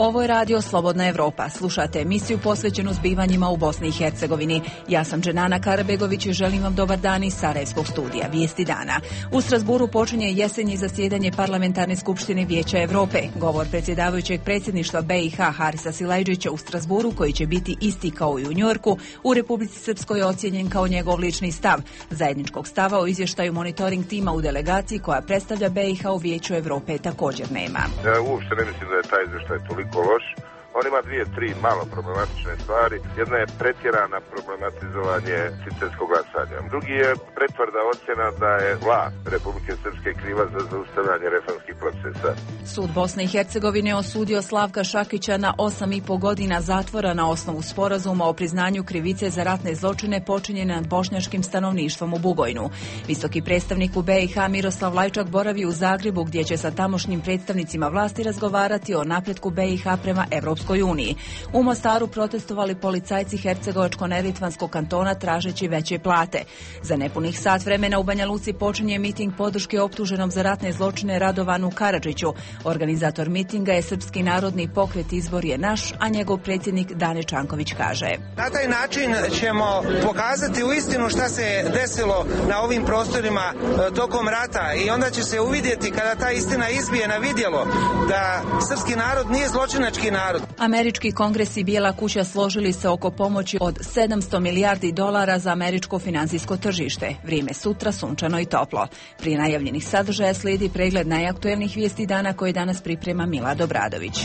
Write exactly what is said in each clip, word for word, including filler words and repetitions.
Ovo je radio Slobodna Evropa. Slušate emisiju posvećenu zbivanjima u Bosni i Hercegovini. Ja sam Dženana Karabegović i želim vam dobar dan iz Sarajevskog studija. Vijesti dana. U Strasburu počinje jesenje zasjedanje Parlamentarne skupštine Vijeća Evrope. Govor predsjedavajućeg predsjedništva B i H Harisa Silajdžića u Strasburu, koji će biti isti kao i u Njujorku, u Republici Srpskoj je ocijenjen kao njegov lični stav. Zajedničkog stava o izvještaju monitoring tima u delegaciji koja predstavlja B i H u Vijeću Evrope također nema. Ja uopšte ne mislim da je taj izvještaj toliko loš. On ima dvije, tri malo problematične stvari. Jedna je pretjerana problematizovanje citetskog glasanja. Drugi je pretvrda ocjena da je vlast Republike Srpske kriva za zaustavljanje reformskih procesa. Sud Bosne i Hercegovine osudio Slavka Šakića na osam i po godina zatvora na osnovu sporazuma o priznanju krivice za ratne zločine počinjene nad bošnjačkim stanovništvom u Bugojnu. Visoki predstavnik u B i H Miroslav Lajčak boravi u Zagrebu, gdje će sa tamošnjim predstavnicima vlasti razgovarati o napretku B i H prema Evropskoj uniji. U Mostaru protestovali policajci Hercegovačko-Neretvanskog kantona tražeći veće plate. Za nepunih sat vremena u Banja Luci počinje miting podrške optuženom za ratne zločine Radovanu Karadžiću. Organizator mitinga je Srpski narodni pokret Izbor je naš, a njegov predsjednik Dane Čanković kaže: Na taj način ćemo pokazati u istinu šta se desilo na ovim prostorima tokom rata i onda će se uvidjeti, kada ta istina izbije na vidjelo, da srpski narod nije zločinački narod. Američki kongres i Bijela kuća složili se oko pomoći od sedamsto milijardi dolara za američko financijsko tržište. Vrijeme sutra sunčano i toplo. Prije najavljenih sadržaja slijedi pregled najaktuelnijih vijesti dana koje danas priprema Milad Obradović.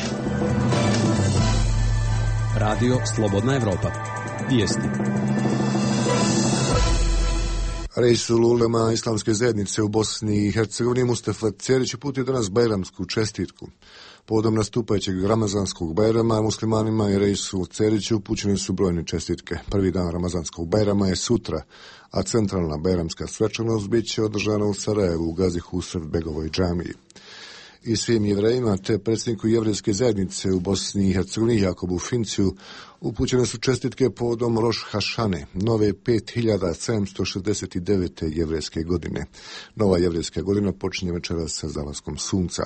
Radio Slobodna Evropa. Vijesti. Reisul ulema islamske zajednice u Bosni i Hercegovini Mustafa Cerić uputio danas bajramsku čestitku. Povodom nastupajućeg ramazanskog bajrama muslimanima i reisu Ceriću upućene su brojne čestitke. Prvi dan ramazanskog bajrama je sutra, a centralna bajramska svečanost bit će održana u Sarajevu u Gazi Husref-begovoj džamiji. I svim jevrejima te predsjedniku jevrejske zajednice u Bosni i Hercegovini Jakobu Finciju upućene su čestitke povodom Roš Hašane, nove pet hiljada sedamsto šezdeset devete jevrejske godine. Nova jevrejska godina počinje večeras sa zalaskom sunca.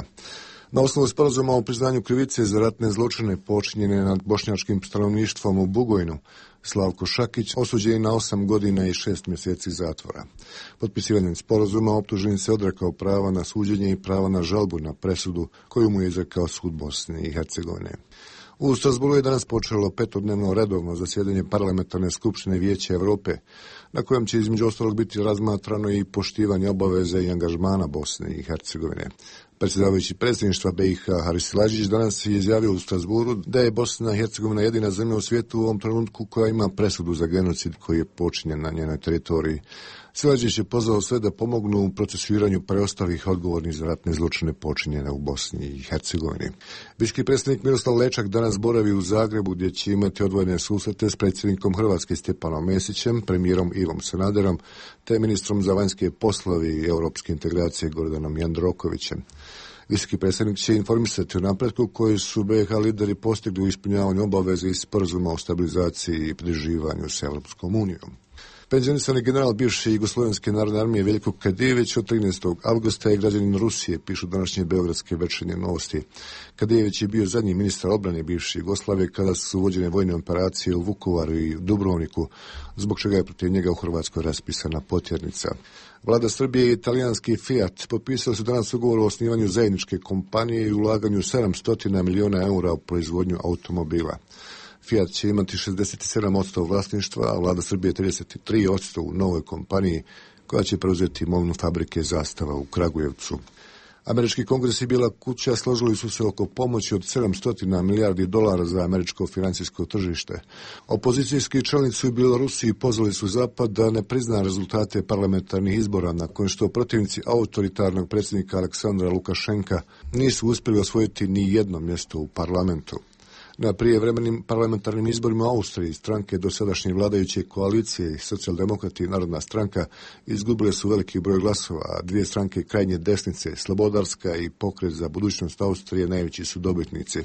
Na osnovu sporazuma o priznanju krivice za ratne zločine počinjene nad bošnjačkim stanovništvom u Bugojnu, Slavko Šakić osuđen je na osam godina i šest mjeseci zatvora. Potpisivanjem sporazuma optuženi se odrekao prava na suđenje i prava na žalbu na presudu koju mu je izrekao sud Bosne i Hercegovine. U Strasburu je danas počelo petodnevno redovno zasjedanje Parlamentarne skupštine Vijeća Evrope, na kojem će između ostalog biti razmatrano i poštivanje obaveze i angažmana Bosne i Hercegovine. Predsjedavajući predsjedništva B i H Haris Silajdžić danas je izjavio u Strasburu da je Bosna i Hercegovina jedina zemlja u svijetu u ovom trenutku koja ima presudu za genocid koji je počinjen na njenoj teritoriji. Silajdžić je pozvao sve da pomognu u procesuiranju preostalih odgovornih za ratne zločine počinjene u Bosni i Hercegovini. Visoki predstavnik Miroslav Lečak danas boravi u Zagrebu, gdje će imati odvojene susrete s predsjednikom Hrvatske Stjepanom Mesićem, premijerom Ivom Sanaderom, te ministrom za vanjske poslove i europske integracije Gordanom Jandrokovićem. Visoki predstavnik će informisati o napretku koji su B i H lideri postigli u ispunjavanju obaveze iz sporazuma o stabilizaciji i pridruživanju s Europskom unijom. Penzionisani general bivše Jugoslovenske narodne armije Veljko Kadijević od trinaestog avgusta je građanin Rusije, pišu današnje beogradske večernje novosti. Kadijević je bio zadnji ministar obrane bivše Jugoslavije kada su vođene vojne operacije u Vukovaru i Dubrovniku, zbog čega je protiv njega u Hrvatskoj raspisana potjernica. Vlada Srbije i italijanski Fiat potpisali su danas ugovor o osnivanju zajedničke kompanije i ulaganju sedamsto miliona eura u proizvodnju automobila. Fiat će imati šezdeset sedam posto vlasništva, a vlada Srbije trideset tri posto u novoj kompaniji koja će preuzeti imovinu fabrike Zastava u Kragujevcu. Američki kongres i Bijela kuća složili su se oko pomoći od sedamsto milijardi dolara za američko financijsko tržište. Opozicijski čelnici u Bjelorusiji pozvali su Zapad da ne prizna rezultate parlamentarnih izbora, nakon što protivnici autoritarnog predsjednika Aleksandra Lukašenka nisu uspjeli osvojiti ni jedno mjesto u parlamentu. Na prijevremenim parlamentarnim izborima u Austriji stranke dosadašnje vladajuće koalicije i Socijaldemokrati i Narodna stranka izgubile su veliki broj glasova, a dvije stranke krajnje desnice, Slobodarska i Pokret za budućnost Austrije, najveći su dobitnici.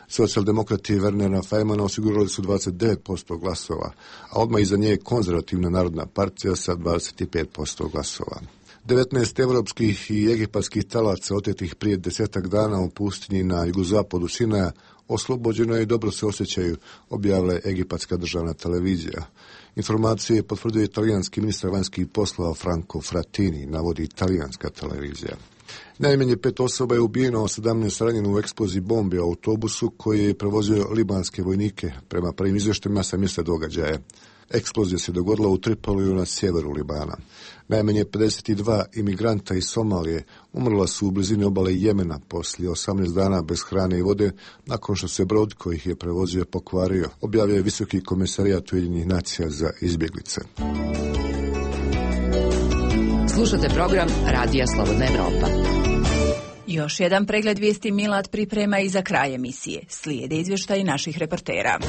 Socijaldemokrati Wernera Fajmana osigurali su dvadeset devet posto glasova, a odmah iza nje je Konzervativna narodna partija sa dvadeset pet posto glasova. devetnaest evropskih i egipatskih talaca otetih prije desetak dana u pustinji na jugozapadu Sinaja oslobođeno je i dobro se osjećaju, objavila je egipatska državna televizija. Informacije potvrdio italijanski ministar vanjskih poslova Franco Frattini, navodi italijanska televizija. Najmanje pet osoba je ubijeno, a sedamnaest ranjeno u eksploziji bombe u autobusu koji je prevozio libanske vojnike, prema prvim izvještajima sa mjesta događaja. Eksplozija se dogodila u Tripoliju na sjeveru Libana. Najmanje pedeset dva imigranta iz Somalije umrla su u blizini obale Jemena poslije osamnaest dana bez hrane i vode nakon što se brod koji ih je prevozio pokvario, objavio je Visoki komesarijat Ujedinjenih nacija za izbjeglice. Slušate program Radija Slobodna Evropa. Još jedan pregled vijesti Milad priprema i za kraj emisije. Slijede izvještaji naših reportera.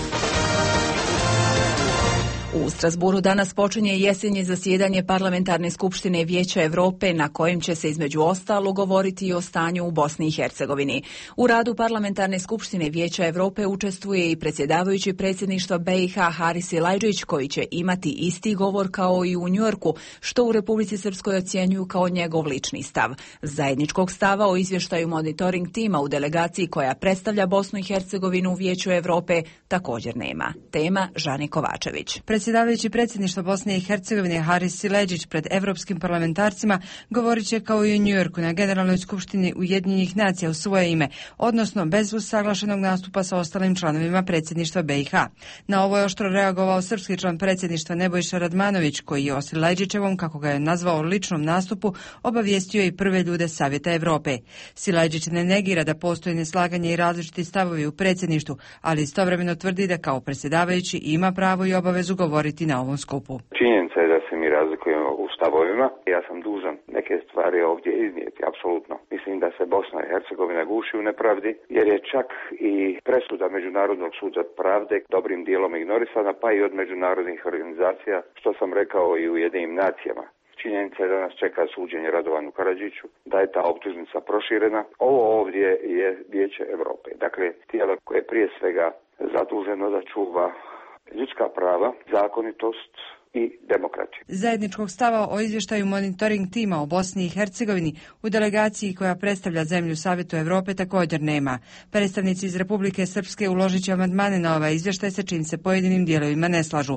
U Strasburu danas počinje jesenje zasjedanje Parlamentarne skupštine Vijeća Europe na kojem će se između ostalog govoriti i o stanju u Bosni i Hercegovini. U radu Parlamentarne skupštine Vijeća Europe učestvuje i predsjedavajući predsjedništva B i H Haris Silajdžić koji će imati isti govor kao i u Njujorku, što u Republici Srpskoj ocjenjuju kao njegov lični stav. Zajedničkog stava o izvještaju monitoring tima u delegaciji koja predstavlja Bosnu i Hercegovinu u Vijeću Europe također nema. Tema Žani Kovačević. Predsjedavajući predsjedništva Bosne i Hercegovine Haris Silajdžić pred evropskim parlamentarcima govorit će kao i u Njujorku na Generalnoj skupštini Ujedinjenih nacija u svoje ime, odnosno bez usaglašenog nastupa sa ostalim članovima predsjedništva B i H. Na ovo je oštro reagovao srpski član predsjedništva Nebojša Radmanović, koji je o Silajdžićevom, kako ga je nazvao, ličnom nastupu obavijestio i prve ljude Savjeta Europe. Silajdžić ne negira da postoji neslaganje i različiti stavovi u predsjedništvu, ali istovremeno tvrdi da kao predsjedavajući ima pravo i obavezu govoriti na ovom skupu. Činjenica je da se mi razlikujemo u stavovima. Ja sam dužan neke stvari ovdje iznijeti, apsolutno. Mislim da se Bosna i Hercegovina guši u nepravdi, jer je čak i presuda Međunarodnog suda pravde dobrim dijelom ignorisana, pa i od međunarodnih organizacija, što sam rekao i u Ujedinjenim nacijama. Činjenica je da nas čeka suđenje Radovanu Karadžiću, da je ta optužnica proširena. Ovo ovdje je Vijeće Europe. Dakle, tijelo koje je prije svega zaduženo da čuva ljudska prava, zakonitost i demokraciju. Zajedničkog stava o izvještaju monitoring tima o Bosni i Hercegovini u delegaciji koja predstavlja zemlju Savjetu Europe također nema. Predstavnici iz Republike Srpske uložit će amandmane na ovaj izvještaj sa čim se pojedinim dijelovima ne slažu.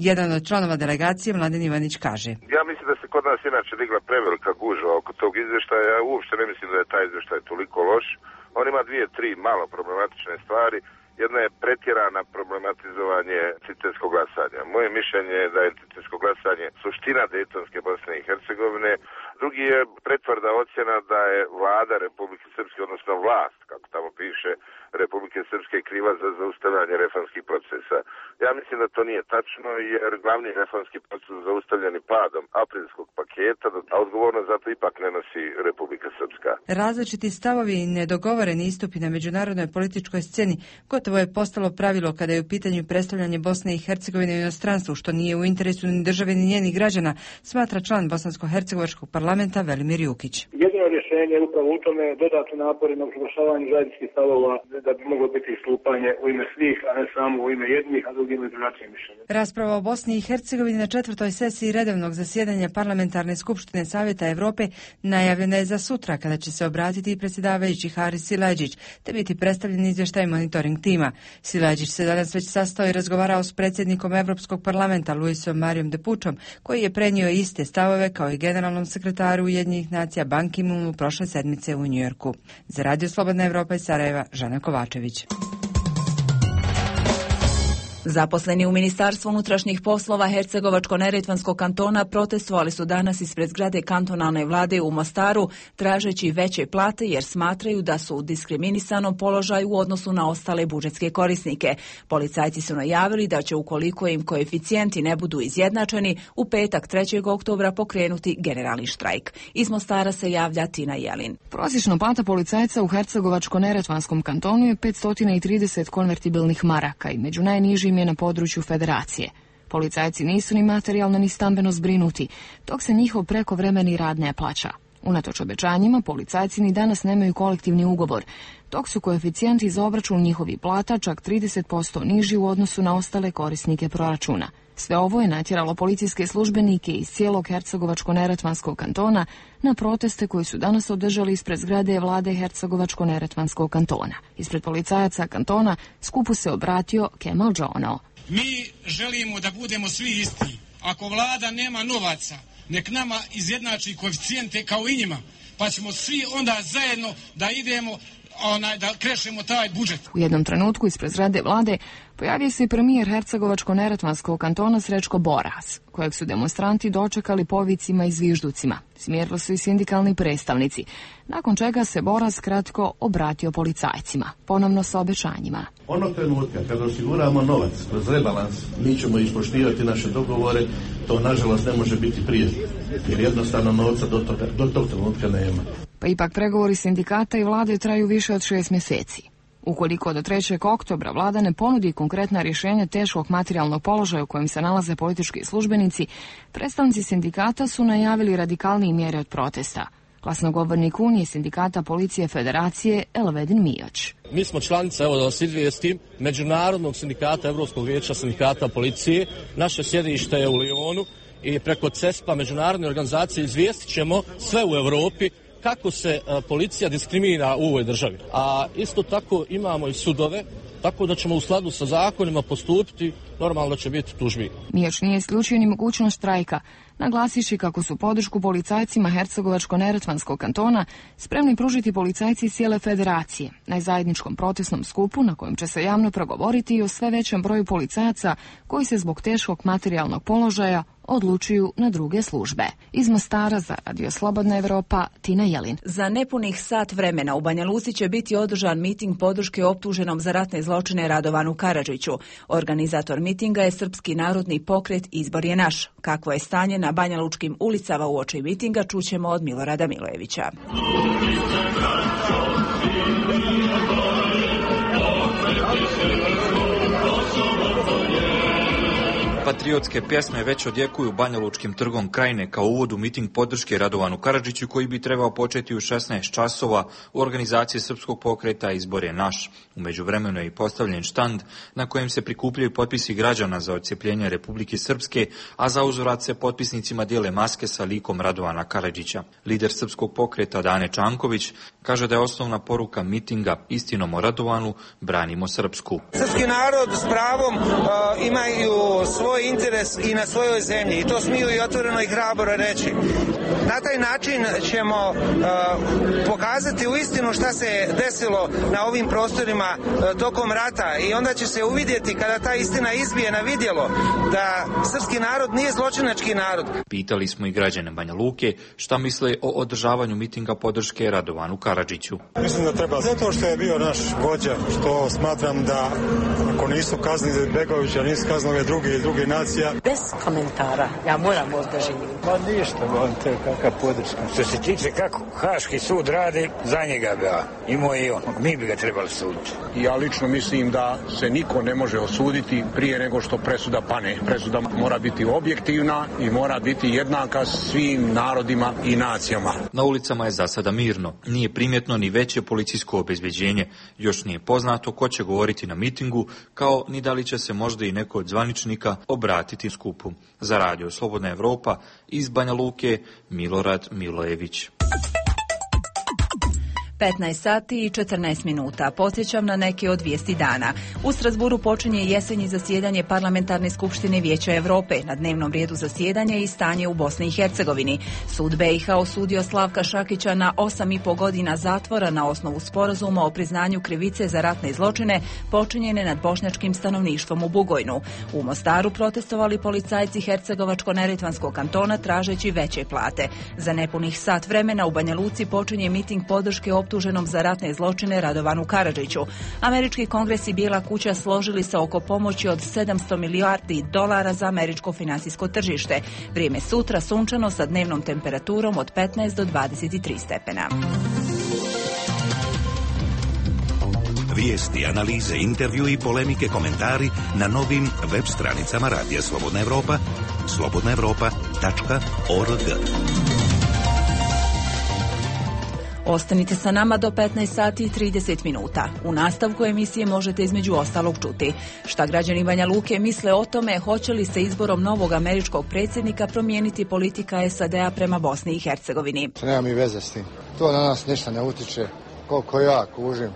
Jedan od članova delegacije, Mladen Ivanić, kaže: Ja mislim da se kod nas inače digla prevelika gužva oko tog izvještaja. Ja uopšte ne mislim da je taj izvještaj toliko loš. On ima dvije, tri malo problematične stvari. Jedna je pretjerana problematizovanje citeskog glasanja. Moje mišljenje je da je citesko glasanje suština Dejtonske Bosne i Hercegovine. Drugi je pretvrda ocjena da je vlada Republike Srpske, odnosno vlast, kako tamo piše, Republike Srpske kriva za zaustavljanje reformskih procesa. Ja mislim da to nije tačno, jer glavni reformski proces zaustavljeni padom aprilskog paketa, a odgovornost za to ipak ne nosi Republika Srpska. Različiti stavovi i nedogovoreni istupi na međunarodnoj političkoj sceni gotovo je postalo pravilo kada je u pitanju predstavljanje Bosne i Hercegovine u inostranstvu, što nije u interesu ni države ni njenih građana, smatra član bosansko-hercegovačkog parlamenta Velimir Jukić. Jedino rješenje je upravo u tome dodatni napori na usaglašavanju zajedničkih stavova da bi moglo biti istupanje u ime svih, a ne samo u ime jednih, a drugim i drugačijim mišljenjem. Rasprava o Bosni i Hercegovini na četvrtoj sesiji redovnog zasjedanja Parlamentarne skupštine Savjeta Europe najavljena je za sutra, kada će se obratiti i predsjedavajući Haris Silajdžić, te biti predstavljen izvještaj monitoring tima. Silajdžić se danas već sastao i razgovarao s predsjednikom Europskog parlamenta Luisom Marijom Depučom, koji je prenio iste stavove kao i generalnom sekretaru Ujedinjenih nacija Ban Ki-moonu prošle sedmice u Njujorku. Za Radio Slobodna Evropa iz Sarajeva, Žana Kovačević. Zaposleni u Ministarstvu unutrašnjih poslova Hercegovačko-neretvanskog kantona protestovali su danas ispred zgrade kantonalne vlade u Mostaru tražeći veće plate jer smatraju da su u diskriminisanom položaju u odnosu na ostale budžetske korisnike. Policajci su najavili da će, ukoliko im koeficijenti ne budu izjednačeni, u petak trećeg oktobra pokrenuti generalni štrajk. Iz Mostara se javlja Tina Jelin. Prosječna plata policajca u Hercegovačko-neretvanskom kantonu je petsto trideset konvertibilnih maraka i među najnižim je na području federacije. Policajci nisu ni materijalno ni stambeno zbrinuti, dok se njihov prekovremeni rad ne plaća. Unatoč obećanjima, policajci ni danas nemaju kolektivni ugovor, dok su koeficijenti za obračun njihovih plata čak trideset posto niži u odnosu na ostale korisnike proračuna. Sve ovo je natjeralo policijske službenike iz cijelog Hercegovačko-neretvanskog kantona na proteste koji su danas održali ispred zgrade vlade Hercegovačko-neretvanskog kantona. Ispred policajaca kantona skupu se obratio Kemal Džono. Mi želimo da budemo svi isti. Ako vlada nema novaca, nek nama izjednači koeficijente kao i njima, pa ćemo svi onda zajedno da idemo, onaj, da krešemo taj budžet. U jednom trenutku ispred zgrade vlade pojavio se i premijer Hercegovačko-neretvanskog kantona Srećko Boras, kojeg su demonstranti dočekali povicima i zvižducima. Smjerili su i sindikalni predstavnici, nakon čega se Boras kratko obratio policajcima, ponovno sa obećanjima. Onog trenutka kada osiguramo novac kroz rebalans, mi ćemo ispoštivati naše dogovore, to nažalost ne može biti prije, jer jednostavno novca do, toga, do tog trenutka nema. Pa ipak pregovori sindikata i vlade traju više od šest mjeseci. Ukoliko do trećeg oktobra vlada ne ponudi konkretna rješenja teškog materijalnog položaja u kojem se nalaze politički službenici, predstavnici sindikata su najavili radikalnije mjere od protesta. Glasnogovornik Unije sindikata Policije Federacije Elvedin Mijoć. Mi smo članica, evo da vas izvijestim, Međunarodnog sindikata Europskog vijeća sindikata Policije. Naše sjedište je u Lijonu i preko C E S P A, međunarodne organizacije, izvijestit ćemo sve u Europi kako se a, policija diskriminira u ovoj državi. A isto tako imamo i sudove, tako da ćemo u skladu sa zakonima postupiti, normalno će biti tužbi. Mijoć nije isključio ni mogućnost štrajka, naglasiši kako su podršku policajcima Hercegovačko-neretvanskog kantona spremni pružiti policajci cijele federacije na zajedničkom protestnom skupu na kojem će se javno progovoriti i o sve većem broju policajaca koji se zbog teškog materijalnog položaja odlučuju na druge službe. Iz Mostara za Radio Slobodna Evropa, Tina Jelin. Za nepunih sat vremena u Banja Luci će biti održan miting podrške optuženom za ratne zločine Radovanu Karadžiću. Organizator mitinga je Srpski narodni pokret Izbor je naš. Kakvo je stanje na banjalučkim ulicama uoči mitinga čućemo od Milorada Milojevića. Patriotske pjesme već odjekuju banjalučkim trgom Krajine kao uvod u miting podrške Radovanu Karadžiću koji bi trebao početi u šesnaest časova u organizaciji Srpskog pokreta Izbor je naš. U međuvremenu je i postavljen štand na kojem se prikupljaju potpisi građana za odcjepljenje Republike Srpske, a za uzvrat se potpisnicima dijele maske sa likom Radovana Karadžića. Lider Srpskog pokreta Dane Čanković kaže da je osnovna poruka mitinga istinom o Radovanu branimo Srpsku. Srpski narod s pravom uh, imaju svoj interes i na svojoj zemlji i to smiju i otvoreno i hrabro reći. Na taj način ćemo uh, pokazati u istinu šta se desilo na ovim prostorima uh, tokom rata i onda će se uvidjeti kada ta istina izbije na vidjelo da srpski narod nije zločinački narod. Pitali smo i građane Banja Luke šta misle o održavanju mitinga podrške Radovanu Karadžiću. Mislim da treba zato što je bio naš vođa, što smatram da ako nisu kaznili Begovića, nisu kaznili druge i druge nacija. Bez komentara, ja moram ovdje živjeti. Pa ništa, on to je kakva podrška. Što se tiče kako Haški sud radi, za njega bi ja, imao i on. Mi bi ga trebali suditi. Ja lično mislim da se niko ne može osuditi prije nego što presuda pane. Presuda mora biti objektivna i mora biti jednaka svim narodima i nacijama. Na ulicama je za sada mirno. Nije primjetno ni veće policijsko obezbeđenje. Još nije poznato ko će govoriti na mitingu, kao ni da li će se možda i neko od zvaničnika obratiti skupu. Za Radio Slobodna Evropa iz Banja Luke, Milorad Milojević. petnaest sati i četrnaest minuta. Podsjećam na neke od vijesti dana. U Strasburu počinje jesenje zasjedanje Parlamentarne skupštine Vijeća Europe. Na dnevnom redu zasjedanja i stanje u Bosni i Hercegovini. Sud B i H osudio Slavka Šakića na osam i po godina zatvora na osnovu sporazuma o priznanju krivice za ratne zločine počinjene nad bošnjačkim stanovništvom u Bugojnu. U Mostaru protestovali policajci Hercegovačko-neretvanskog kantona tražeći veće plate. Za nepunih sat vremena u Banja Luci počinje miting podrške optuženom za ratne zločine Radovanu Karadžiću. Američki kongres i Bijela kuća složili se oko pomoći od sedamsto milijardi dolara za američko finansijsko tržište. Vrijeme sutra sunčano sa dnevnom temperaturom od petnaest do dvadeset tri stepena. Vijesti, analize, intervju i polemike, komentari na novim web stranicama Radija Slobodna Evropa, slobodna evropa tačka org. Ostanite sa nama do petnaest sati i trideset minuta. U nastavku emisije možete između ostalog čuti šta građani Banja Luke misle o tome hoće li se izborom novog američkog predsjednika promijeniti politika S A D-a prema Bosni i Hercegovini. Nema mi veze s tim. To na nas ništa ne utiče. Koliko ja kužim.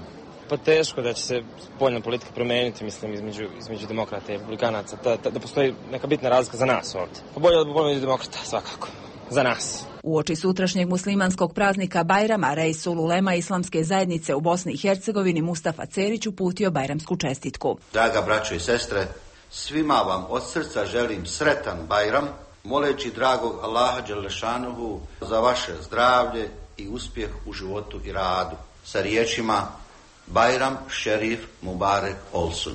Pa teško da će se spoljna politika promijeniti, mislim, između, između demokrata i republikanaca. Da, da, da postoji neka bitna razlika za nas ovdje. Pa bolje da budemo demokrata, svakako. Za nas. Uoči sutrašnjeg muslimanskog praznika Bajrama, Reisul Ulema Islamske zajednice u Bosni i Hercegovini Mustafa Cerić uputio bajramsku čestitku. Draga braćo i sestre, svima vam od srca želim sretan Bajram, moleći dragog Allaha Đelešanuhu za vaše zdravlje i uspjeh u životu i radu. Sa riječima Bajram Šerif Mubarek Olsun.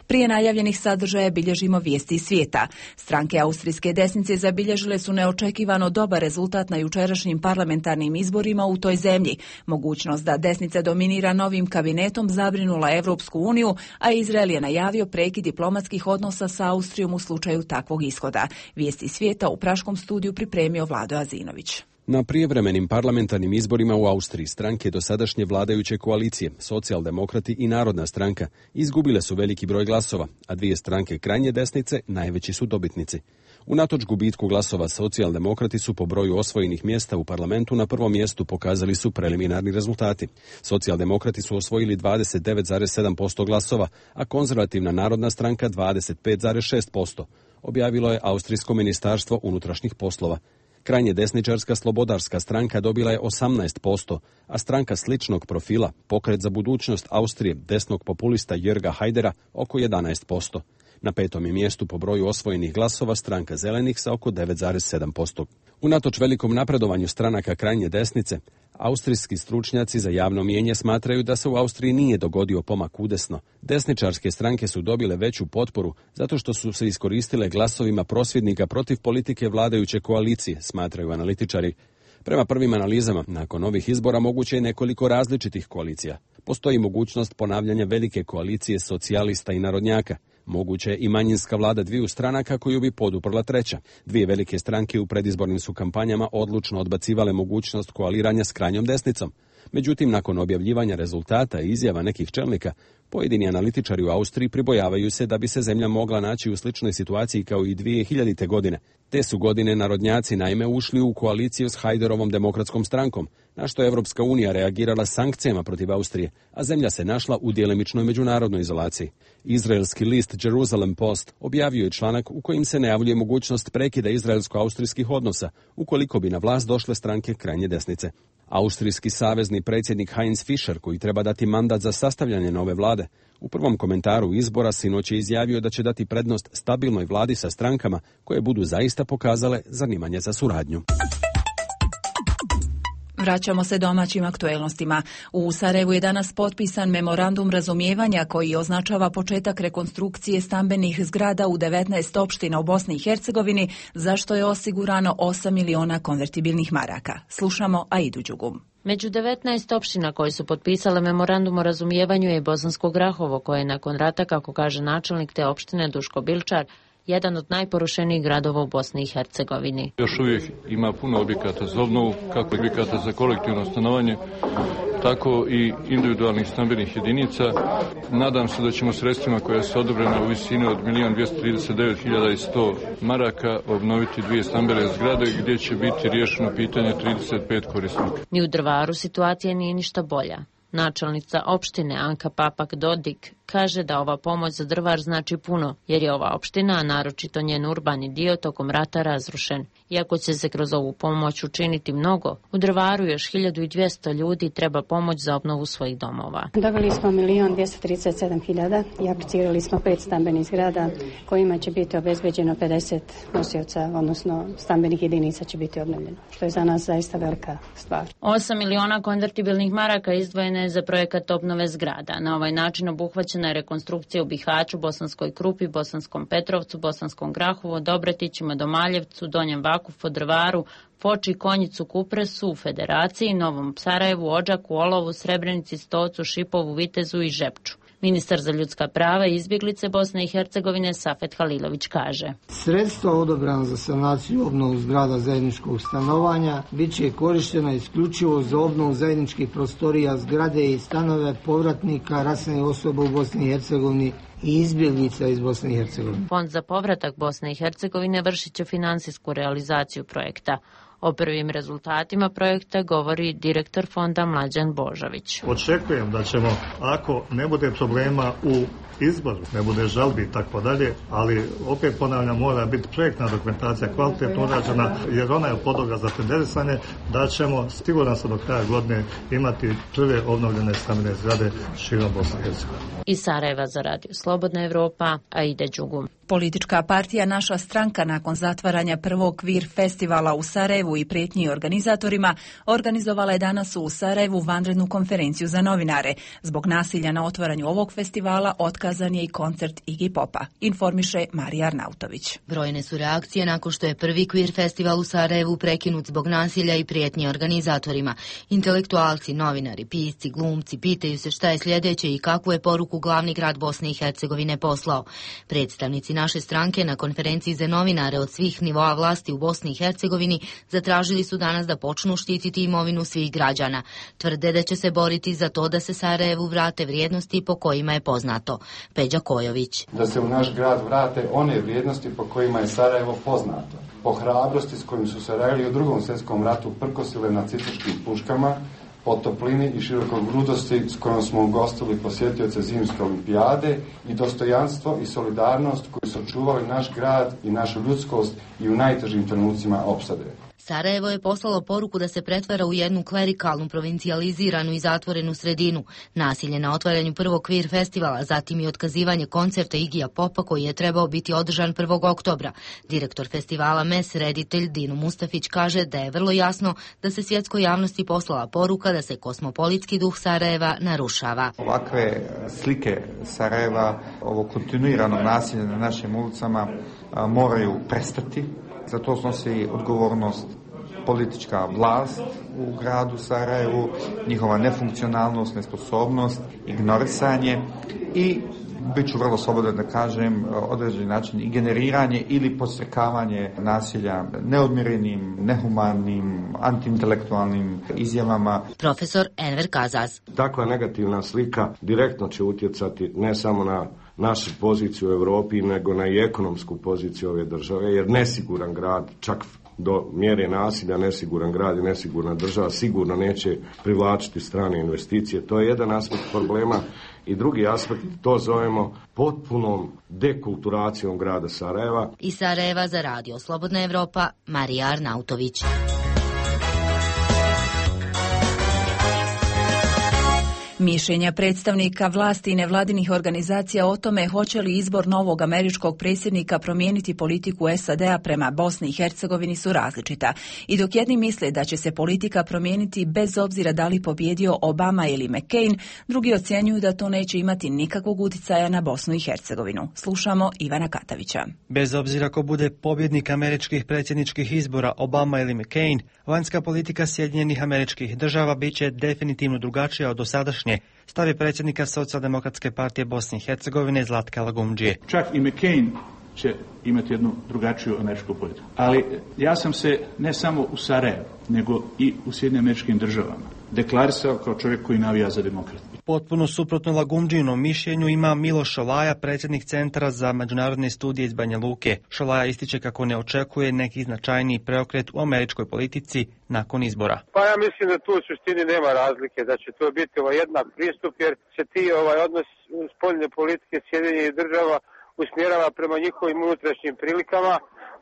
Prije najavljenih sadržaja bilježimo vijesti iz svijeta. Stranke austrijske desnice zabilježile su neočekivano dobar rezultat na jučerašnjim parlamentarnim izborima u toj zemlji. Mogućnost da desnica dominira novim kabinetom zabrinula Evropsku uniju, a Izrael je najavio prekid diplomatskih odnosa sa Austrijom u slučaju takvog ishoda. Vijesti iz svijeta u praškom studiju pripremio Vlado Azinović. Na prijevremenim parlamentarnim izborima u Austriji stranke dosadašnje vladajuće koalicije, Socijaldemokrati i Narodna stranka, izgubile su veliki broj glasova, a dvije stranke krajnje desnice najveći su dobitnici. Unatoč gubitku glasova Socijaldemokrati su po broju osvojenih mjesta u parlamentu na prvom mjestu, pokazali su preliminarni rezultati. Socijaldemokrati su osvojili dvadeset devet zarez sedam posto glasova, a konzervativna Narodna stranka dvadeset pet zarez šest posto, objavilo je Austrijsko ministarstvo unutrašnjih poslova. Krajnje desničarska Slobodarska stranka dobila je osamnaest posto, a stranka sličnog profila, Pokret za budućnost Austrije, desnog populista Jörga Hajdera, oko jedanaest posto. Na petom je mjestu po broju osvojenih glasova stranka Zelenih sa oko devet zarez sedam posto. Unatoč velikom napredovanju stranaka krajnje desnice, austrijski stručnjaci za javno mijenje smatraju da se u Austriji nije dogodio pomak udesno. Desničarske stranke su dobile veću potporu zato što su se iskoristile glasovima prosvjednika protiv politike vladajuće koalicije, smatraju analitičari. Prema prvim analizama, nakon ovih izbora moguće je nekoliko različitih koalicija. Postoji mogućnost ponavljanja velike koalicije socijalista i narodnjaka. Moguće je i manjinska vlada dviju stranaka koju bi poduprla treća. Dvije velike stranke u predizbornim su kampanjama odlučno odbacivale mogućnost koaliranja s krajnjom desnicom. Međutim, nakon objavljivanja rezultata i izjava nekih čelnika, pojedini analitičari u Austriji pribojavaju se da bi se zemlja mogla naći u sličnoj situaciji kao i dvije hiljadite. godine. Te su godine narodnjaci naime ušli u koaliciju s Hajderovom demokratskom strankom, na što je Evropska unija reagirala sankcijama protiv Austrije, a zemlja se našla u djelimičnoj međunarodnoj izolaciji. Izraelski list Jerusalem Post objavio je članak u kojim se najavljuje mogućnost prekida izraelsko-austrijskih odnosa ukoliko bi na vlast došle stranke krajnje desnice. Austrijski savezni predsjednik Heinz Fischer, koji treba dati mandat za sastavljanje nove vlade, u prvom komentaru izbora sinoć je izjavio da će dati prednost stabilnoj vladi sa strankama koje budu zaista pokazale zanimanje za suradnju. Vraćamo se domaćim aktuelnostima. U Sarajevu je danas potpisan memorandum razumijevanja koji označava početak rekonstrukcije stambenih zgrada u devetnaest opština u Bosni i Hercegovini, za što je osigurano osam miliona konvertibilnih maraka. Slušamo Aidu Đugum. Među devetnaest opština koje su potpisale memorandum o razumijevanju je Bosansko Grahovo, koje je nakon rata, kako kaže načelnik te opštine Duško Bilčar, jedan od najporušenijih gradova u Bosni i Hercegovini. Još uvijek ima puno objekata za obnovu, kako objekata za kolektivno stanovanje, tako i individualnih stambenih jedinica. Nadam se da ćemo sredstvima koja su odobrena u visini od milion dvjesto trideset devet hiljada sto maraka obnoviti dvije stambene zgrade gdje će biti riješeno pitanje trideset pet korisnika. Ni u Drvaru situacija nije ništa bolja. Načelnica opštine Anka Papak Dodik kaže da ova pomoć za Drvar znači puno, jer je ova opština, a naročito njen urbani dio, tokom rata razrušen. Iako će se kroz ovu pomoć učiniti mnogo, u Drvaru još hiljadu dvjesto ljudi treba pomoć za obnovu svojih domova. Dobili smo milion dvjesto trideset sedam hiljada i aplicirali smo pet stambenih zgrada kojima će biti obezbeđeno pedeset nosioca, odnosno stambenih jedinica će biti obnovljeno, što je za nas zaista velika stvar. osam miliona konvertibilnih maraka izdvojene je za projekat obnove zgrada. Na ovaj način obuhvaćena je rekonstrukcija u Bihaću, Bosanskoj Krupi, Bosanskom Petrovcu, Bosanskom Grahovu, Dobretićima, Domaljevcu, Donjem Vakufu, Drvaru, Foči, Konjicu, Kupresu, u Federaciji, Novom Sarajevu, Odžaku, Olovu, Srebrenici, Stocu, Šipovu, Vitezu i Žepču. Ministar za ljudska prava i izbjeglice Bosne i Hercegovine Safet Halilović kaže: Sredstva odobrana za sanaciju i obnovu zgrada zajedničkog stanovanja bit će korištena isključivo za obnovu zajedničkih prostorija zgrade i stanove povratnika raseljenih osoba u Bosni i Hercegovini i izbjeglica iz Bosne i Hercegovine. Fond za povratak Bosne i Hercegovine vršit će finansijsku realizaciju projekta. O prvim rezultatima projekta govori direktor fonda Mlađan Božović. Očekujem da ćemo, ako ne bude problema u izboru, ne bude žalbi i tako dalje, ali opet ponavljam, mora biti projektna dokumentacija kvalitetno urađena, jer ona je podloga za tenderisanje, da ćemo, siguran sam, do kraja godine imati prve obnovljene stambene zgrade širom Bosne i Hercegovine. Iz Sarajeva za Radio Slobodna Evropa, Aida Đugum. Politička partija Naša stranka nakon zatvaranja prvog kvir festivala u Sarajevu i prijetnji organizatorima organizovala je danas u Sarajevu vanrednu konferenciju za novinare. Zbog nasilja na otvaranju ovog festivala otkazan je i koncert Iggy Popa, informiše Marija Arnautović. Brojne su reakcije nakon što je prvi kvir festival u Sarajevu prekinut zbog nasilja i prijetnji organizatorima. Intelektualci, novinari, pisci, glumci pitaju se šta je sljedeće i kakvu je poruku glavni grad Bosne i Hercegovine poslao. Predstavnici Naše stranke na konferenciji za novinare od svih nivoa vlasti u Bosni i Hercegovini zatražili su danas da počnu štititi imovinu svih građana. Tvrde da će se boriti za to da se Sarajevu vrate vrijednosti po kojima je poznato. Peđa Kojović. Da se u naš grad vrate one vrijednosti po kojima je Sarajevo poznato. Po hrabrosti s kojim su Sarajevili u drugom svjetskom ratu prkosile nacističkim puškama, po toplini i širokogrudosti s kojom smo ugostili posjetioce zimske olimpijade i dostojanstvo i solidarnost koji su čuvali naš grad i našu ljudskost i u najtežim trenucima opsade. Sarajevo je poslalo poruku da se pretvara u jednu klerikalnu, provincijaliziranu i zatvorenu sredinu. Nasilje na otvaranju prvog kvir festivala, zatim i otkazivanje koncerta Igija Popa koji je trebao biti održan prvog oktobra. Direktor festivala M E S, reditelj Dino Mustafić, kaže da je vrlo jasno da se svjetskoj javnosti poslala poruka da se kosmopolitski duh Sarajeva narušava. Ovakve slike Sarajeva, ovo kontinuirano nasilje na našim ulicama moraju prestati. Za to snosi odgovornost politička vlast u gradu Sarajevu, njihova nefunkcionalnost, nesposobnost, ignorisanje i, bit ću vrlo slobodan da kažem, određeni način i generiranje ili podstrekavanje nasilja neodmjerenim, nehumanim, antiintelektualnim izjavama. Profesor Enver Kazaz. Takva negativna slika direktno će utjecati ne samo na našu poziciju u Europi, nego na i ekonomsku poziciju ove države, jer nesiguran grad, čak do mjere nasilja, nesiguran grad i nesigurna država sigurno neće privlačiti strane investicije. To je jedan aspekt problema i drugi aspekt, to zovemo potpunom dekulturacijom grada Sarajeva. Iz Sarajeva za Radio Slobodna Evropa, Marija Arnautović. Mišljenja predstavnika vlasti i nevladinih organizacija o tome hoće li izbor novog američkog predsjednika promijeniti politiku S A D-a prema Bosni i Hercegovini su različita. I dok jedni misle da će se politika promijeniti bez obzira da li pobjedio Obama ili McCain, drugi ocjenjuju da to neće imati nikakvog utjecaja na Bosnu i Hercegovinu. Slušamo Ivana Katavića. Bez obzira ko bude pobjednik američkih predsjedničkih izbora, Obama ili McCain, vanjska politika Sjedinjenih Američkih Država bit će definitivno drugačija od dosadašnje, stavi predsjednika Socijaldemokratske partije Bosne i Hercegovine Zlatka Lagumdžije. Čak i McCain će imati jednu drugačiju američku politiku. Ali ja sam se ne samo u Sarajevu, nego i u Sjedinjenim Američkim Državama deklarisao kao čovjek koji navija za demokratiju. Potpuno suprotno Lagumdžijinom mišljenju ima Miloš Šolaja, predsjednik Centra za međunarodne studije iz Banja Luke. Šolaja ističe kako ne očekuje neki značajniji preokret u američkoj politici nakon izbora. Pa ja mislim da tu u suštini nema razlike, da će to biti ovaj jednak pristup, jer se ti ovaj odnos spoljne politike Sjedinjenih Država usmjerava prema njihovim unutrašnjim prilikama,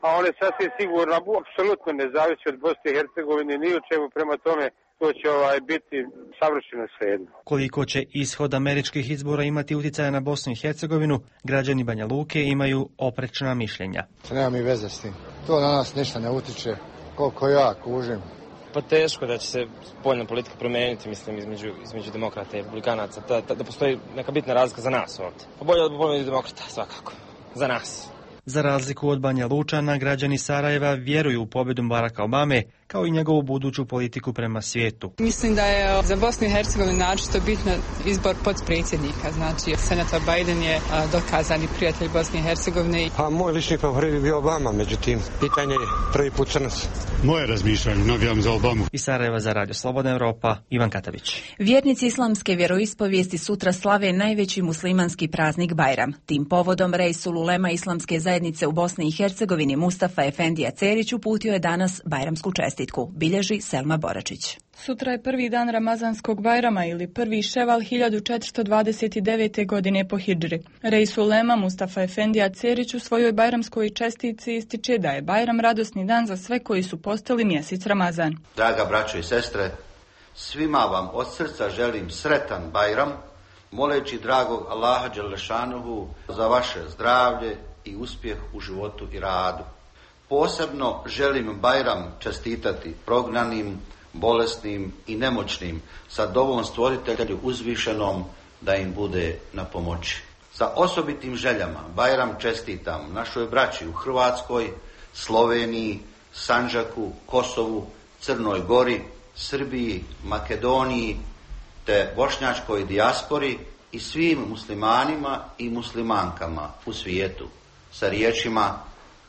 a one sasvim sigurno apsolutno ne zavisi od Bosne i Hercegovine ni u čemu, prema tome to će ovaj biti savršeno svejedno. Koliko će ishod američkih izbora imati utjecaja na Bosnu i Hercegovinu, građani Banja Luke imaju oprečna mišljenja. Nema mi veze s tim. To na nas ništa ne utiče, koliko ja kužim. Pa teško da će se spoljna politika promijeniti, mislim, između, između demokrata i republikanaca, da, da, da postoji neka bitna razlika za nas ovdje. Pa bolje da bolje demokrata, svakako, za nas. Za razliku od Banja Lučana, građani Sarajeva vjeruju u pobjedu Baracka Obame, kao i njegovu buduću politiku prema svijetu. Mislim da je za Bosnu i Hercegovinu naročito bitno izbor potpredsjednika. Znači, senator Biden je dokazani prijatelj Bosne i Hercegovine. Pa moj lični favorit bi bio Obama, međutim, pitanje je prvi put crnac. Moje razmišljanje, navijam za Obamu. Iz Sarajeva za Radio Slobodna Evropa, Ivan Katavić. Vjernici islamske vjeroispovijesti sutra slave najveći muslimanski praznik Bajram. Tim povodom Reisul Ulema islamske zajednice u Bosni i Hercegovini Mustafa Efendija Cerić uputio je danas bajramsku čestitku, bilježi Selma Boračić. Sutra je prvi dan Ramazanskog Bajrama ili prvi Ševal hiljadu četiristo dvadeset devete. godine po hidžri. Reisul Ulema Mustafa Efendija Cerić u svojoj bajramskoj čestitci ističe da je Bajram radosni dan za sve koji su postali mjesec Ramazan. Draga braćo i sestre, svima vam od srca želim sretan Bajram, moleći dragog Allaha Đelešanuhu za vaše zdravlje i uspjeh u životu i radu. Posebno želim Bajram čestitati prognanim, bolesnim i nemoćnim, sa dovom stvoritelju uzvišenom da im bude na pomoći. Sa osobitim željama Bajram čestitam našoj braći u Hrvatskoj, Sloveniji, Sandžaku, Kosovu, Crnoj Gori, Srbiji, Makedoniji te bošnjačkoj dijaspori i svim muslimanima i muslimankama u svijetu sa riječima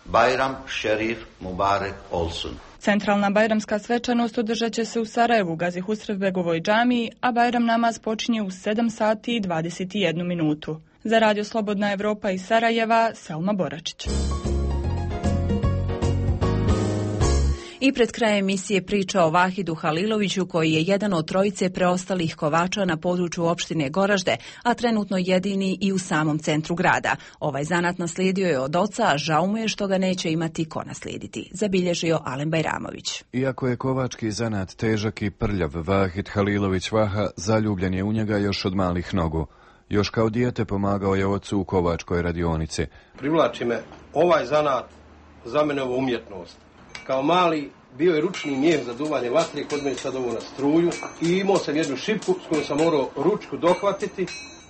Bajram Šerif Mubarek Olsun. Centralna bajramska svečanost održat će se u Sarajevu, Gazi Husrevbegovoj džamiji, a Bajram namaz počinje u sedam sati i dvadeset jednu minutu. Za Radio Slobodna Evropa iz Sarajeva, Selma Boračić. I pred krajem emisije priča o Vahidu Haliloviću, koji je jedan od trojice preostalih kovača na području opštine Goražde, a trenutno jedini i u samom centru grada. Ovaj zanat naslijedio je od oca, a žao mu je što ga neće imati ko naslijediti, zabilježio Alen Bajramović. Iako je kovački zanat težak i prljav, Vahid Halilović Vaha zaljubljen je u njega još od malih nogu. Još kao dijete pomagao je ocu u kovačkoj radionici. Privlači me ovaj zanat, za mene ovo umjetnost. Kao mali bio je ručni mijeh za duvanje vatre, kod mene sad ovo na struju i imao sam jednu šipku s kojom sam morao ručku dohvatiti.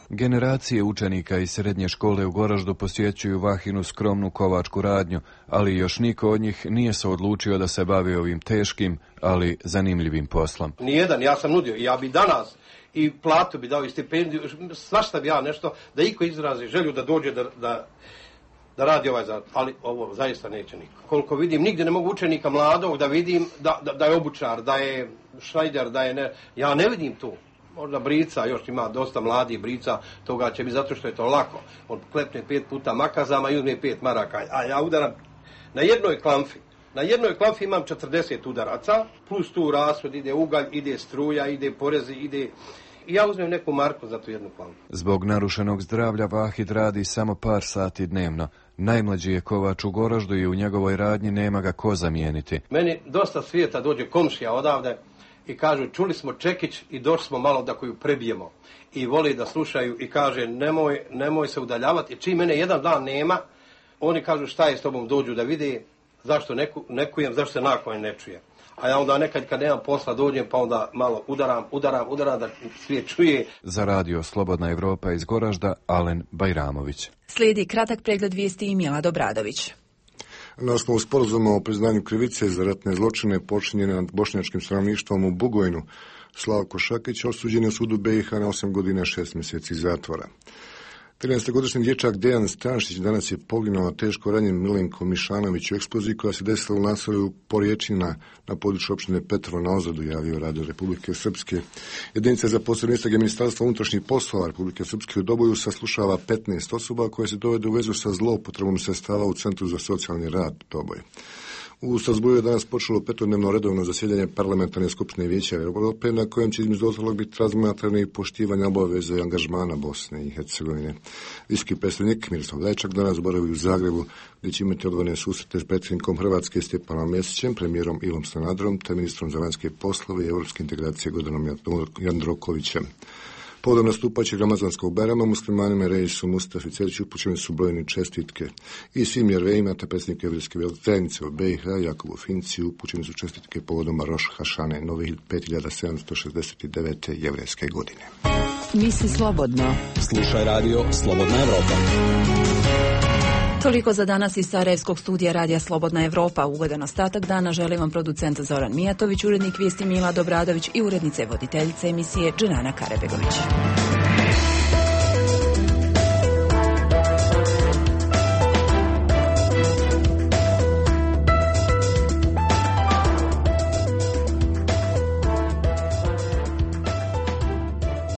Generacije učenika iz srednje škole u Goraždu posjećuju Vahinu skromnu kovačku radnju, ali još niko od njih nije se odlučio da se bavi ovim teškim, ali zanimljivim poslom. Nijedan, ja sam nudio, ja bi danas i platu bi dao i stipendiju, svašta bi ja nešto, da iko izrazi želju da dođe da... da da radi ovaj zanat, ali ovo zaista neće niko. Koliko vidim, nigdje ne mogu učenika mladog da vidim da, da, da je obučar, da je šrajder, da je ne... Ja ne vidim tu. Možda brica, još ima dosta mladih brica, toga će biti zato što je to lako. On klepne pet puta makazama i uzme pet maraka, a ja udaram na jednoj klamfi. Na jednoj klamfi imam četrdeset udaraca, plus tu rashod, ide ugalj, ide struja, ide porezi, ide... I ja uzmem neku marku za tu jednu klamfu. Zbog narušenog zdravlja Vahid radi samo par sati dnevno. Najmlađi je kovač u Goraždu i u njegovoj radnji nema ga ko zamijeniti. Meni dosta svijeta dođe komšija odavde i kažu čuli smo čekić i došli smo malo da koju prebijemo. I voli da slušaju i kaže nemoj, nemoj se udaljavati. Čim mene jedan dan nema, oni kažu šta je s tobom, dođu da vide zašto neku, nekujem, zašto se nakon ne čuje. A ja onda nekad kad nemam posla dođem pa onda malo udaram, udaram, udaram da svijet čuje. Za Radio Slobodna Evropa iz Goražda, Alen Bajramović. Slijedi kratak pregled vijesti i Milad Obradović. Na osnovu sporazuma o priznanju krivice za ratne zločine počinjene nad bošnjačkim stanovništvom u Bugojnu, Slavko Šakić osuđen je u sudu B i H na osam godina i šest mjeseci zatvora. trinaestogodišnji dječak Dejan Stanšić danas je poginuo teško ranjen Milenko Mišanović u eksploziji koja se desila u naselju Porječina na području opštine Petrovo na Ozadu, javio Radio Republike Srpske. Jedinica za posebne istrage Ministarstva unutrašnjih poslova Republike Srpske u Doboju saslušava petnaest osoba koje se dovede u vezu sa zloupotrebom sredstava u Centru za socijalni rad Doboj. U Strasbourgu je danas počelo petodnevno redovno zasjedanje Parlamentarne skupštine Vijeća Europe, na kojem će između ostalog biti razmatrano i poštivanje obaveze i angažmana Bosne i Hercegovine. Visoki predstavnik Miroslav Lajčak danas boravi u Zagrebu, gdje će imati odvojene susrete s predsjednikom Hrvatske Stjepanom Mesićem, premijerom Ivom Sanaderom, te ministrom za vanjske poslove i europske integracije Gordanom Jandrokovićem. Povodom nastupajućeg ramazanskog Bajrama muslimanima Reisu Mustafi Ceriću upućene su brojne čestitke. I svim jervejima te predsjednik evrijske zajednice u B i H Jakobu Finci upućene su čestitke povodom Roš Hašane nove pet hiljada sedamsto šezdeset devete jevrejske godine. Misli slobodno. Slušaj Radio Slobodna Evropa. Toliko za danas iz Sarajevskog studija Radija Slobodna Evropa. Ugodan ostatak dana želim vam producent Zoran Mijatović, urednik vijesti Mila Dobradović i urednice voditeljice emisije Dženana Karabegović.